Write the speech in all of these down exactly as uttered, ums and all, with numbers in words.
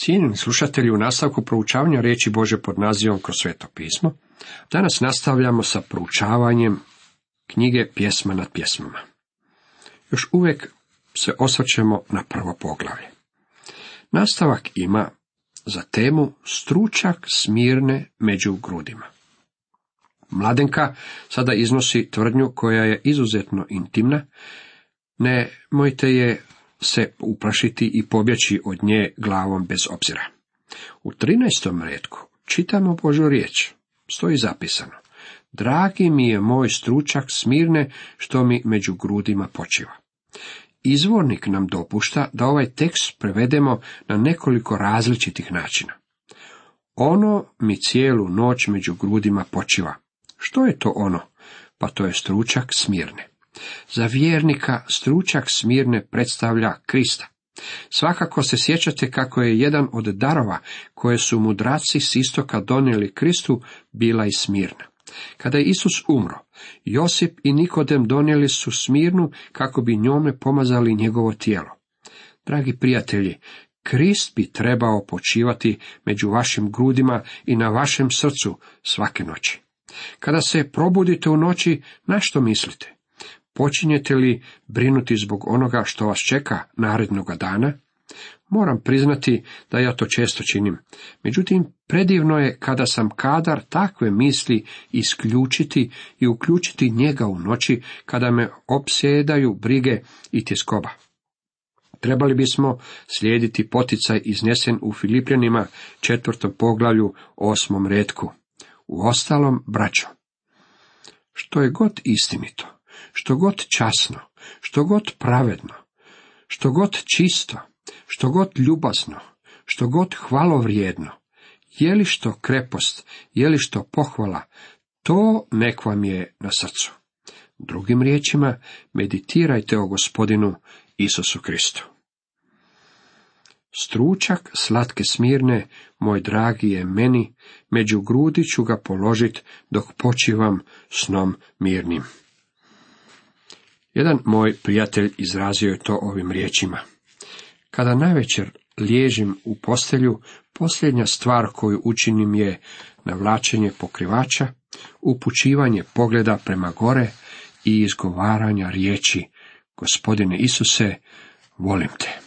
Cijenjeni slušatelji, u nastavku proučavanja riječi Božje pod nazivom Kroz sveto pismo, danas nastavljamo sa proučavanjem knjige Pjesma nad pjesmama. Još uvijek se osvrćemo na prvo poglavlje. Nastavak ima za temu stručak Smirne među grudima. Mladenka sada iznosi tvrdnju koja je izuzetno intimna, nemojte je se uplašiti i pobjeći od nje glavom bez obzira. U trinaestom retku čitamo Božju riječ, stoji zapisano: dragi mi je moj stručak Smirne, što mi među grudima počiva. Izvornik nam dopušta da ovaj tekst prevedemo na nekoliko različitih načina. Ono mi cijelu noć među grudima počiva. Što je to ono? Pa to je stručak Smirne. Za vjernika stručak Smirne predstavlja Krista. Svakako se sjećate kako je jedan od darova koje su mudraci s istoka donijeli Kristu bila i Smirna. Kada je Isus umro, Josip i Nikodem donijeli su Smirnu kako bi njome pomazali njegovo tijelo. Dragi prijatelji, Krist bi trebao počivati među vašim grudima i na vašem srcu svake noći. Kada se probudite u noći, na što mislite? Počinjete li brinuti zbog onoga što vas čeka narednoga dana? Moram priznati da ja to često činim. Međutim, predivno je kada sam kadar takve misli isključiti i uključiti njega u noći kada me opsjedaju brige i tjeskoba. Trebali bismo slijediti poticaj iznesen u Filipljanima četvrtom poglavlju osmom retku. Uostalom, braćo, što je god istinito, što god časno, što god pravedno, što god čisto, što god ljubazno, što god hvalovrijedno, je li što krepost, je li što pohvala, to nek vam je na srcu. Drugim riječima, meditirajte o Gospodinu Isusu Kristu. Stručak slatke Smirne, moj dragi je meni, među grudi ću ga položit dok počivam snom mirnim. Jedan moj prijatelj izrazio je to ovim riječima: kada navečer liježim u postelju, posljednja stvar koju učinim je navlačenje pokrivača, upućivanje pogleda prema gore i izgovaranja riječi: Gospodine Isuse, volim te.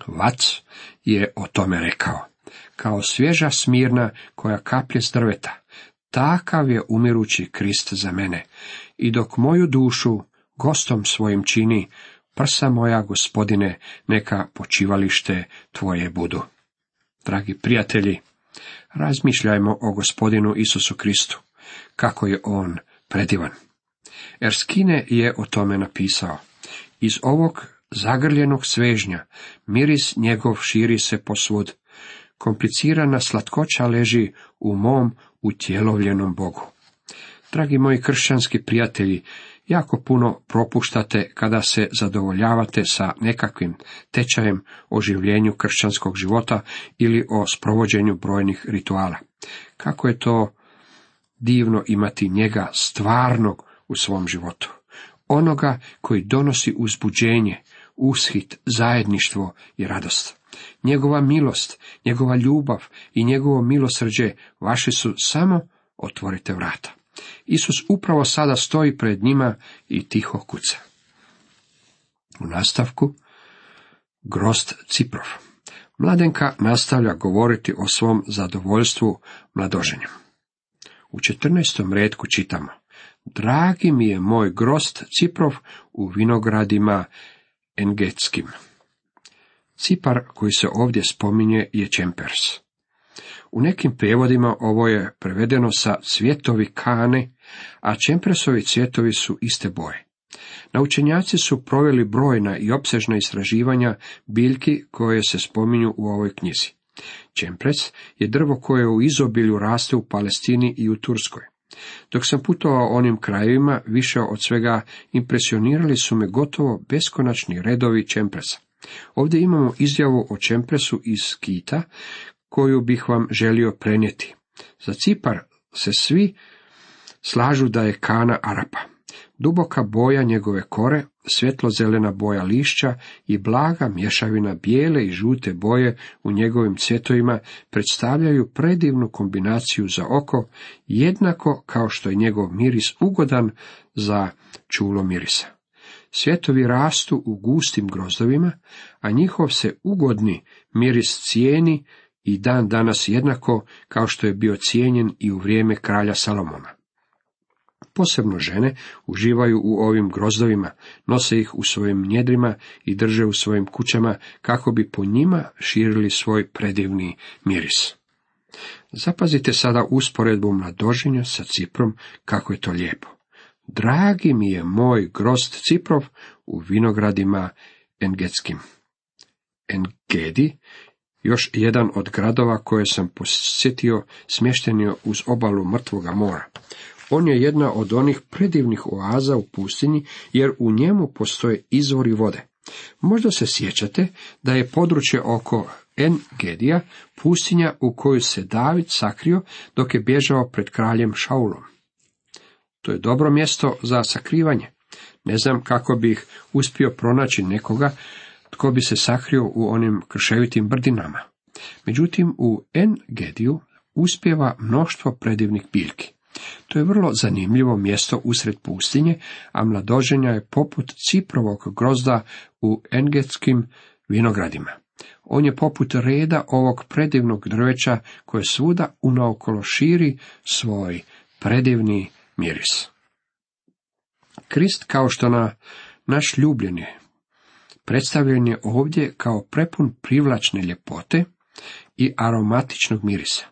Vac je o tome rekao: kao svježa Smirna koja kaplje s drveta, takav je umirući Krist za mene, i dok moju dušu gostom svojim čini, prsa moja, Gospodine, neka počivalište tvoje budu. Dragi prijatelji, razmišljajmo o Gospodinu Isusu Kristu, kako je on predivan. Erskine je o tome napisao: iz ovog zagrljenog svežnja miris njegov širi se posvud, komplicirana slatkoća leži u mom utjelovljenom Bogu. Dragi moji kršćanski prijatelji, jako puno propuštate kada se zadovoljavate sa nekakvim tečajem o življenju kršćanskog života ili o sprovođenju brojnih rituala. Kako je to divno imati njega stvarnog u svom životu. Onoga koji donosi uzbuđenje, ushit, zajedništvo i radost. Njegova milost, njegova ljubav i njegovo milosrđe vaši su, samo otvorite vrata. Isus upravo sada stoji pred njima i tiho kuca. U nastavku, grozd Ciprov. Mladenka nastavlja govoriti o svom zadovoljstvu mladoženjem. U četrnaestom retku čitamo: dragi mi je moj grozd Ciprov u vinogradima Engetskim. Cipar koji se ovdje spominje je čempers. U nekim prijevodima ovo je prevedeno sa cvjetovi kane, a čempersovi cvjetovi su iste boje. Naučenjaci su proveli brojna i opsežna istraživanja biljki koje se spominju u ovoj knjizi. Čempres je drvo koje u izobilju raste u Palestini i u Turskoj. Dok sam putovao onim krajevima, više od svega impresionirali su me gotovo beskonačni redovi čempresa. Ovdje imamo izjavu o čempresu iz Kita, koju bih vam želio prenijeti. Za Cipar se svi slažu da je kana Arapa. Duboka boja njegove kore, svjetlo-zelena boja lišća i blaga mješavina bijele i žute boje u njegovim cvjetovima predstavljaju predivnu kombinaciju za oko, jednako kao što je njegov miris ugodan za čulo mirisa. Cvjetovi rastu u gustim grozdovima, a njihov se ugodni miris cijeni i dan danas jednako kao što je bio cijenjen i u vrijeme kralja Salomona. Posebno žene uživaju u ovim grozdovima, nose ih u svojim njedrima i drže u svojim kućama kako bi po njima širili svoj predivni miris. Zapazite sada usporedbu mladoženja sa ciprom, kako je to lijepo. Dragi mi je moj grozd ciprov u vinogradima engetskim. Engedi, još jedan od gradova koje sam posjetio, smješten je uz obalu Mrtvoga mora. On je jedna od onih predivnih oaza u pustinji, jer u njemu postoje izvori vode. Možda se sjećate da je područje oko En-Gedija pustinja u koju se David sakrio dok je bježao pred kraljem Šaulom. To je dobro mjesto za sakrivanje. Ne znam kako bih uspio pronaći nekoga tko bi se sakrio u onim krševitim brdinama. Međutim, u En-Gediju uspijeva mnoštvo predivnih biljki. To je vrlo zanimljivo mjesto usred pustinje, a mladoženja je poput ciprovog grozda u engetskim vinogradima. On je poput reda ovog predivnog drveća koje svuda unaokolo širi svoj predivni miris. Krist, kao što na naš ljubljeni, predstavljen je ovdje kao prepun privlačne ljepote i aromatičnog mirisa.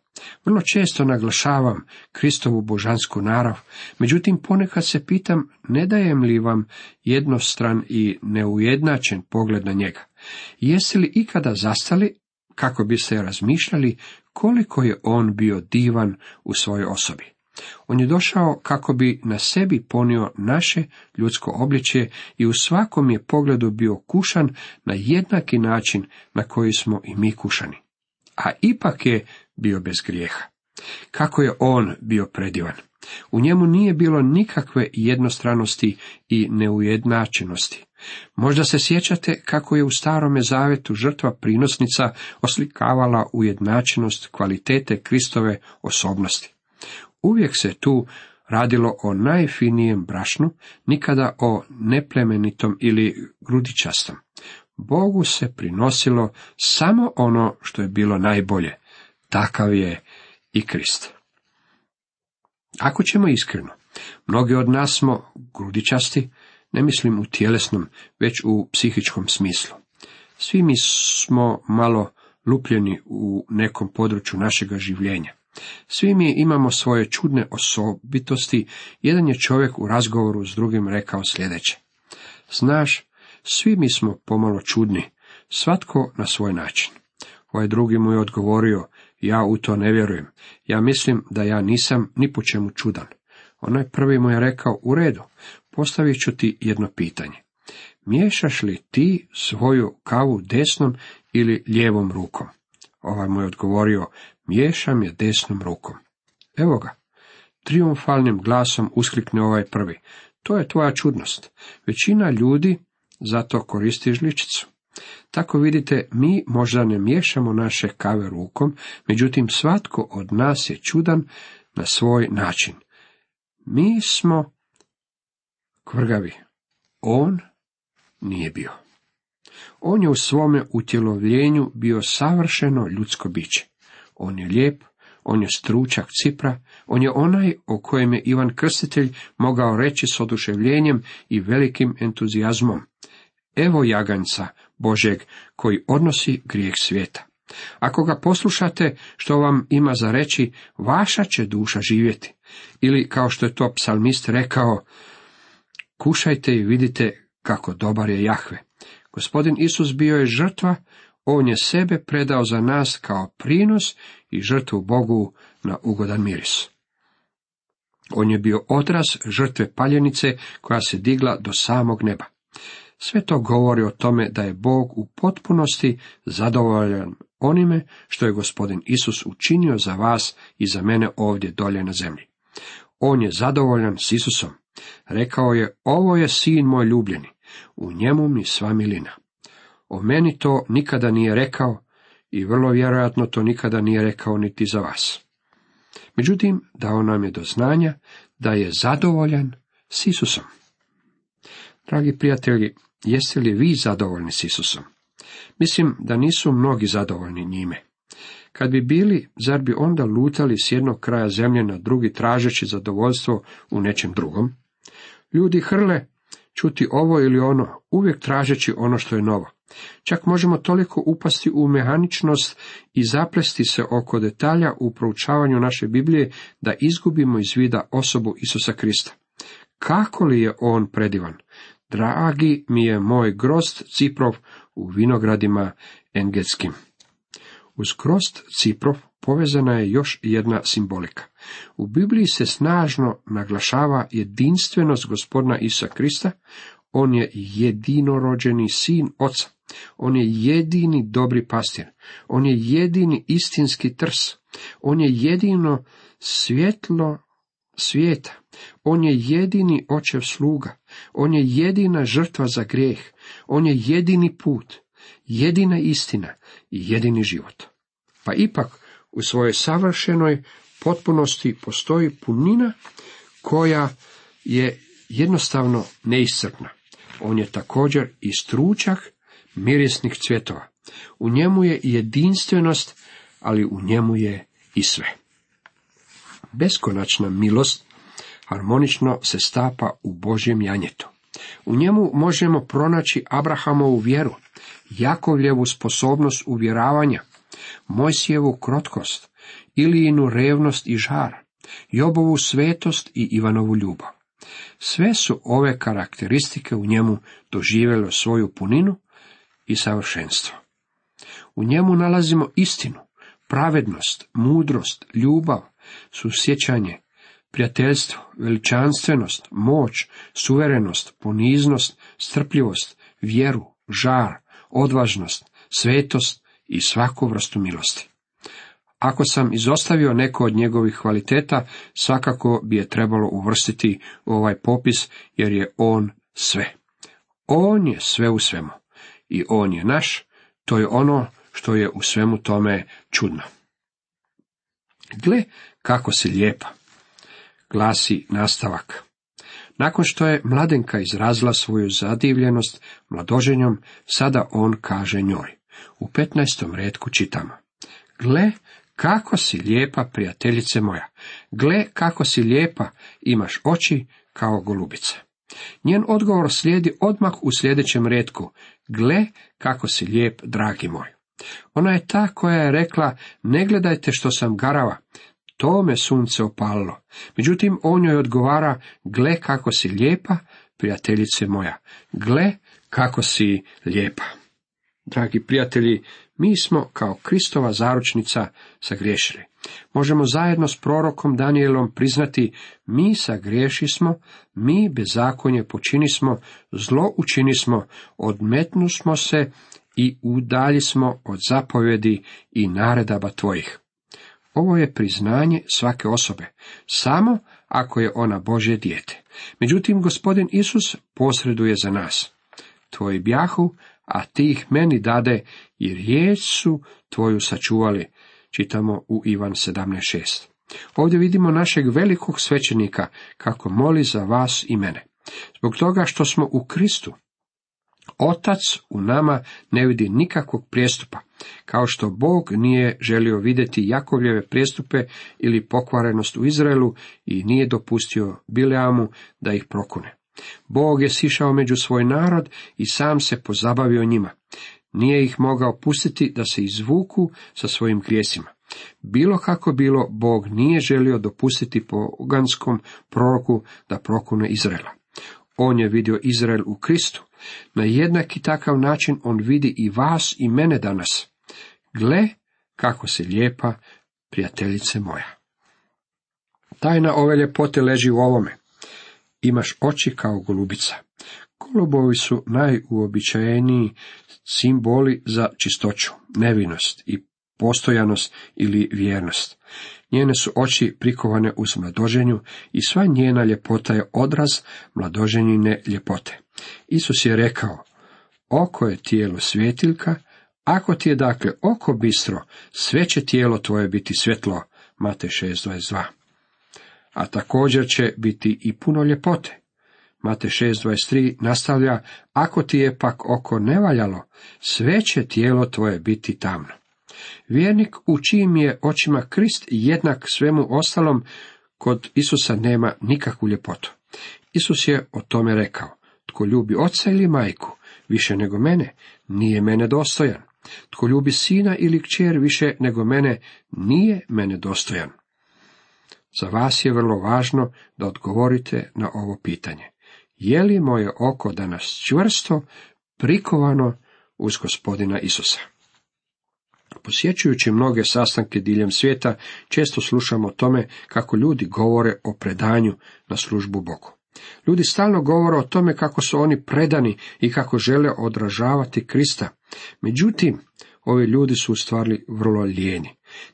Vrlo često naglašavam Kristovu božansku narav, međutim ponekad se pitam ne dajem li vam jednostran i neujednačen pogled na njega. Jeste li ikada zastali kako biste razmišljali koliko je on bio divan u svojoj osobi? On je došao kako bi na sebi ponio naše ljudsko obličje i u svakom je pogledu bio kušan na jednaki način na koji smo i mi kušani. A ipak je bio bez grijeha. Kako je on bio predivan! U njemu nije bilo nikakve jednostranosti i neujednačenosti. Možda se sjećate kako je u Starome Zavetu žrtva prinosnica oslikavala ujednačenost kvalitete Kristove osobnosti. Uvijek se tu radilo o najfinijem brašnu, nikada o neplemenitom ili grudičastom. Bogu se prinosilo samo ono što je bilo najbolje. Takav je i Krist. Ako ćemo iskreno, mnogi od nas smo grudičasti, ne mislim u tjelesnom, već u psihičkom smislu. Svi mi smo malo lupljeni u nekom području našega življenja. Svi mi imamo svoje čudne osobitosti. Jedan je čovjek u razgovoru s drugim rekao sljedeće: znaš, svi mi smo pomalo čudni, svatko na svoj način. Ovaj drugi mu je odgovorio: ja u to ne vjerujem, ja mislim da ja nisam ni po čemu čudan. Onaj prvi mu je rekao: u redu, postavit ću ti jedno pitanje. Miješaš li ti svoju kavu desnom ili lijevom rukom? Ovaj mu je odgovorio: miješam je desnom rukom. Evo ga, trijumfalnim glasom usklikne ovaj prvi: to je tvoja čudnost. Većina ljudi zato koristi žličicu. Tako vidite, mi možda ne miješamo naše kave rukom, međutim svatko od nas je čudan na svoj način. Mi smo kvrgavi, on nije bio. On je u svome utjelovljenju bio savršeno ljudsko biće. On je lijep, on je stručak cipra, on je onaj o kojem je Ivan Krstitelj mogao reći s oduševljenjem i velikim entuzijazmom: evo jaganjca Božjeg koji odnosi grijeh svijeta. Ako ga poslušate, što vam ima za reći, vaša će duša živjeti. Ili, kao što je to psalmist rekao: kušajte i vidite kako dobar je Jahve. Gospodin Isus bio je žrtva, on je sebe predao za nas kao prinos i žrtvu Bogu na ugodan miris. On je bio odraz žrtve paljenice koja se digla do samog neba. Sve to govori o tome da je Bog u potpunosti zadovoljan onime što je Gospodin Isus učinio za vas i za mene ovdje dolje na zemlji. On je zadovoljan s Isusom. Rekao je, ovo je sin moj ljubljeni, u njemu mi sva milina. O meni to nikada nije rekao i vrlo vjerojatno to nikada nije rekao niti za vas. Međutim, dao nam je do znanja da je zadovoljan s Isusom. Dragi prijatelji, jeste li vi zadovoljni s Isusom? Mislim da nisu mnogi zadovoljni njime. Kad bi bili, zar bi onda lutali s jednog kraja zemlje na drugi tražeći zadovoljstvo u nečem drugom? Ljudi hrle čuti ovo ili ono, uvijek tražeći ono što je novo. Čak možemo toliko upasti u mehaničnost i zaplesti se oko detalja u proučavanju naše Biblije da izgubimo iz vida osobu Isusa Krista. Kako li je on predivan? Dragi mi je moj grozd ciprov u vinogradima engetskim. Uz grozd ciprov povezana je još jedna simbolika. U Bibliji se snažno naglašava jedinstvenost Gospodina Isusa Krista. On je jedinorođeni sin Oca. On je jedini dobri pastir. On je jedini istinski trs. On je jedino svjetlo svijeta. On je jedini očev sluga. On je jedina žrtva za grijeh. On je jedini put, jedina istina i jedini život. Pa ipak u svojoj savršenoj potpunosti postoji punina koja je jednostavno neiscrpna. On je također i stručak mirisnih cvjetova. U njemu je jedinstvenost, ali u njemu je i sve. Beskonačna milost harmonično se stapa u Božjem janjetu. U njemu možemo pronaći Abrahamovu vjeru, Jakovljevu sposobnost uvjeravanja, Mojsijevu krotkost, Ilijinu revnost i žar, Jobovu svetost i Ivanovu ljubav. Sve su ove karakteristike u njemu doživjele svoju puninu i savršenstvo. U njemu nalazimo istinu, pravednost, mudrost, ljubav, susjećanje, prijateljstvo, veličanstvenost, moć, suverenost, poniznost, strpljivost, vjeru, žar, odvažnost, svetost i svaku vrstu milosti. Ako sam izostavio neko od njegovih kvaliteta, svakako bi je trebalo uvrstiti u ovaj popis, jer je on sve. On je sve u svemu. I on je naš, to je ono što je u svemu tome čudno. Gle kako si lijepa, glasi nastavak. Nakon što je mladenka izrazila svoju zadivljenost mladoženjom, sada on kaže njoj. U petnaestom retku čitamo. Gle kako si lijepa, prijateljice moja. Gle kako si lijepa, imaš oči kao golubica. Njen odgovor slijedi odmah u sljedećem retku. Gle kako si lijep, dragi moj. Ona je ta koja je rekla, ne gledajte što sam garava, to me sunce opalilo. Međutim, on joj odgovara, gle kako si lijepa, prijateljice moja. Gle kako si lijepa. Dragi prijatelji, mi smo kao Kristova zaručnica sagriješili. Možemo zajedno s prorokom Danijelom priznati, mi sagriješismo, mi bezakonje počinismo, zlo učinismo, odmetnusmo se i udaljismo od zapovjedi i naredaba tvojih. Ovo je priznanje svake osobe, samo ako je ona Božje dijete. Međutim, Gospodin Isus posreduje za nas. Tvoji bjahu, a ti ih meni dade, i riječ su tvoju sačuvali. Čitamo u Ivan sedamnaest šest. Ovdje vidimo našeg velikog svećenika kako moli za vas i mene. Zbog toga što smo u Kristu, Otac u nama ne vidi nikakvog prijestupa, kao što Bog nije želio vidjeti Jakovljeve prijestupe ili pokvarenost u Izraelu i nije dopustio Bileamu da ih prokune. Bog je sišao među svoj narod i sam se pozabavio njima. Nije ih mogao pustiti da se izvuku sa svojim grijesima. Bilo kako bilo, Bog nije želio dopustiti poganskom proroku da prokune Izraela. On je vidio Izrael u Kristu. Na jednaki takav način on vidi i vas i mene danas. Gle kako si lijepa, prijateljice moja. Tajna ove ljepote leži u ovome. Imaš oči kao golubica. Golubovi su najuobičajeniji simboli za čistoću, nevinost i postojanost ili vjernost. Njene su oči prikovane uz mladoženju i sva njena ljepota je odraz mladoženjine ljepote. Isus je rekao, oko je tijelo svjetiljka, ako ti je dakle oko bistro, sve će tijelo tvoje biti svjetlo, Matej šest dvadeset dva. A također će biti i puno ljepote. Matej šest dvadeset tri nastavlja, ako ti je pak oko nevaljalo, sve će tijelo tvoje biti tamno. Vjernik u čijim je očima Krist jednak svemu ostalom, kod Isusa nema nikakvu ljepotu. Isus je o tome rekao, tko ljubi oca ili majku više nego mene, nije mene dostojan. Tko ljubi sina ili kćer više nego mene, nije mene dostojan. Za vas je vrlo važno da odgovorite na ovo pitanje. Je li moje oko danas čvrsto prikovano uz Gospodina Isusa? Posjećujući mnoge sastanke diljem svijeta, često slušamo o tome kako ljudi govore o predanju na službu Bogu. Ljudi stalno govore o tome kako su oni predani i kako žele odražavati Krista. Međutim, ovi ljudi su u stvari vrlo lijeni.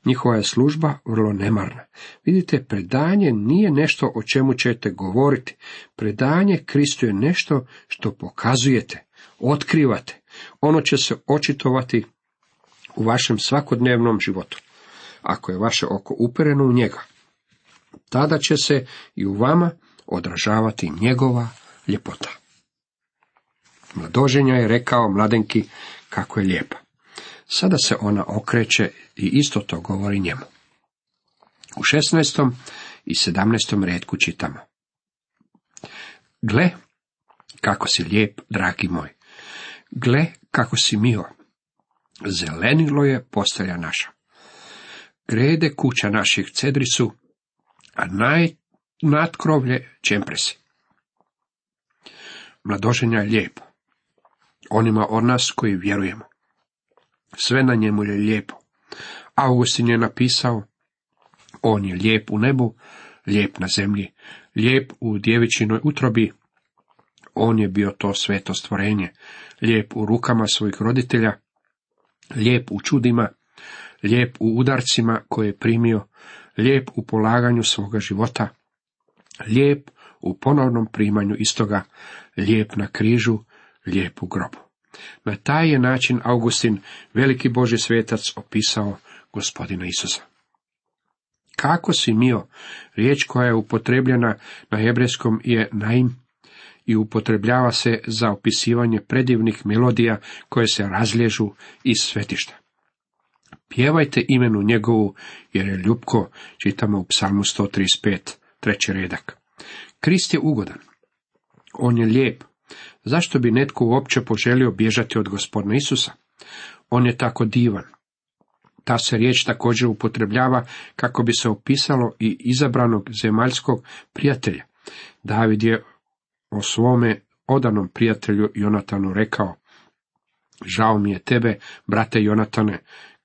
Njihova je služba vrlo nemarna. Vidite, predanje nije nešto o čemu ćete govoriti. Predanje Kristu je nešto što pokazujete, otkrivate. Ono će se očitovati u vašem svakodnevnom životu. Ako je vaše oko upereno u njega, tada će se i u vama odražavati njegova ljepota. Mladoženja je rekao mladenki kako je lijepa. Sada se ona okreće i isto to govori njemu. U šesnaestom i sedamnaestom retku čitamo. Gle, kako si lijep, dragi moj. Gle, kako si mio. Zelenilo je postelja naša. Grede kuća naših cedri su, a naj nadkrovlje čempresi. Mladoženja je lijepo. Onima od nas koji vjerujemo. Sve na njemu je lijepo. Augustin je napisao, on je lijep u nebu, lijep na zemlji, lijep u djevičinoj utrobi. On je bio to sveto stvorenje, lijep u rukama svojih roditelja, lijep u čudima, lijep u udarcima koje je primio, lijep u polaganju svoga života, lijep u ponovnom primanju istoga, lijep na križu, lijep u grobu. Na taj je način Augustin, veliki Božji svetac, opisao Gospodina Isusa. Kako si mio, riječ koja je upotrebljena na hebrejskom je naim i upotrebljava se za opisivanje predivnih melodija koje se razliježu iz svetišta. Pjevajte imenu njegovu, jer je ljubko, čitamo u psalmu sto trideset pet, treći redak. Krist je ugodan. On je lijep. Zašto bi netko uopće poželio bježati od Gospodina Isusa? On je tako divan. Ta se riječ također upotrebljava kako bi se opisalo i izabranog zemaljskog prijatelja. David je o svome odanom prijatelju Jonatanu rekao, žao mi je tebe, brate Jonatane,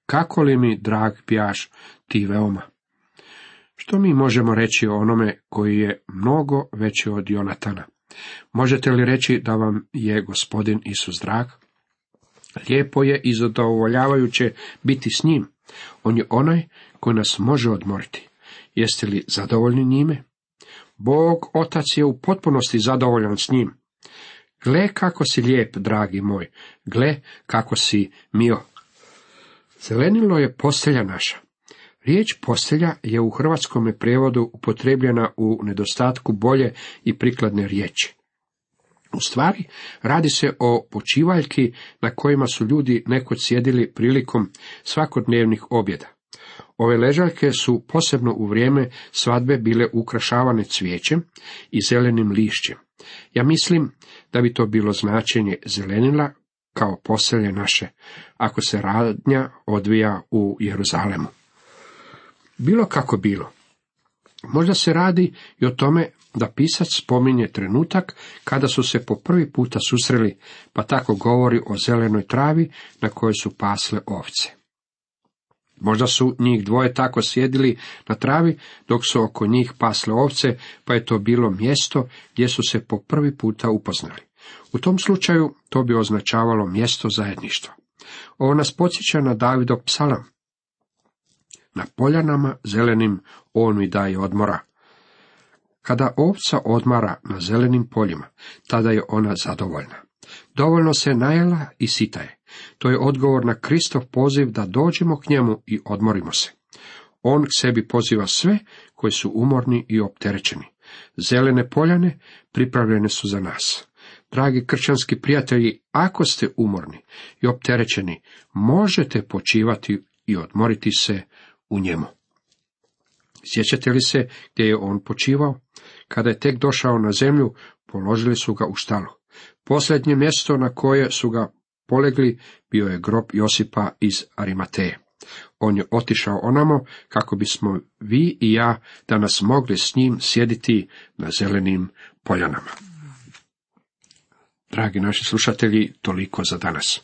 kako li mi drag bjaš ti veoma. Što mi možemo reći o onome koji je mnogo veći od Jonatana? Možete li reći da vam je Gospodin Isus drag? Lijepo je i zadovoljavajuće biti s njim. On je onaj koji nas može odmoriti. Jeste li zadovoljni njime? Bog Otac je u potpunosti zadovoljan s njim. Gle kako si lijep, dragi moj, gle kako si mio. Zelenilo je postelja naša. Riječ postelja je u hrvatskome prijevodu upotrebljena u nedostatku bolje i prikladne riječi. U stvari, radi se o počivaljki na kojima su ljudi nekoć sjedili prilikom svakodnevnih objeda. Ove ležaljke su posebno u vrijeme svadbe bile ukrašavane cvijećem i zelenim lišćem. Ja mislim da bi to bilo značenje zelenila kao postelje naše, ako se radnja odvija u Jeruzalemu. Bilo kako bilo. Možda se radi i o tome da pisac spominje trenutak kada su se po prvi puta susreli, pa tako govori o zelenoj travi na kojoj su pasle ovce. Možda su njih dvoje tako sjedili na travi dok su oko njih pasle ovce, pa je to bilo mjesto gdje su se po prvi puta upoznali. U tom slučaju to bi označavalo mjesto zajedništva. Ovo nas podsjeća na Davidov psalam. Na poljanama zelenim on mi daje odmora. Kada ovca odmara na zelenim poljima, tada je ona zadovoljna. Dovoljno se najela i sita je. To je odgovor na Kristov poziv da dođemo k njemu i odmorimo se. On k sebi poziva sve koji su umorni i opterećeni. Zelene poljane pripravljene su za nas. Dragi kršćanski prijatelji, ako ste umorni i opterećeni, možete počivati i odmoriti se u njemu. Sjećate li se gdje je on počivao? Kada je tek došao na zemlju, položili su ga u štalu. Posljednje mjesto na koje su ga polegli bio je grob Josipa iz Arimateje. On je otišao onamo kako bismo vi i ja danas mogli s njim sjediti na zelenim poljanama. Dragi naši slušatelji, toliko za danas.